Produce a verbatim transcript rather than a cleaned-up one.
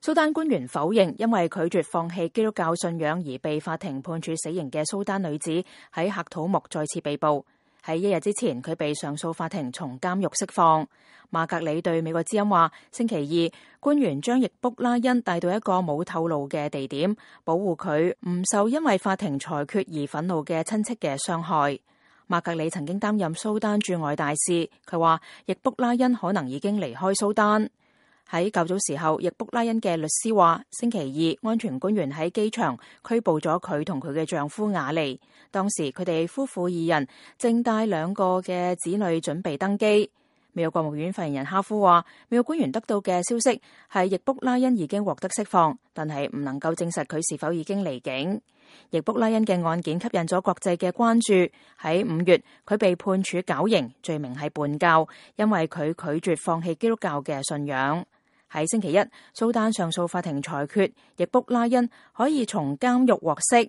蘇丹官員否認因為拒絕放棄基督教信仰而被法庭判處死刑嘅蘇丹女子喺喀土穆再次被捕。喺一日之前，佢被上訴法庭從監獄釋放。馬格里對美國之音話，星期二官員將易卜拉欣帶到一個冇透露嘅地點，保護佢唔受因為法庭裁決而憤怒嘅親戚嘅傷害。馬格里曾經擔任蘇丹駐外大使，佢話易卜拉欣可能已經離開蘇丹。喺較早時候，易卜拉欣嘅律師話，星期二安全官員喺機場拘捕咗佢同佢嘅丈夫雅利。當時佢哋夫婦二人正帶兩個嘅子女準備登機。美國國務院發言人哈夫話，美國官員得到嘅消息係易卜拉欣已經獲得釋放，但係唔能夠證實佢是否已經離境。易卜拉欣嘅案件吸引咗國際嘅關注。喺五月，佢被判處絞刑，罪名係叛教，因為佢拒絕放棄基督教嘅信仰。喺星期一，蘇丹上訴法庭裁決易卜拉欣可以從監獄獲釋。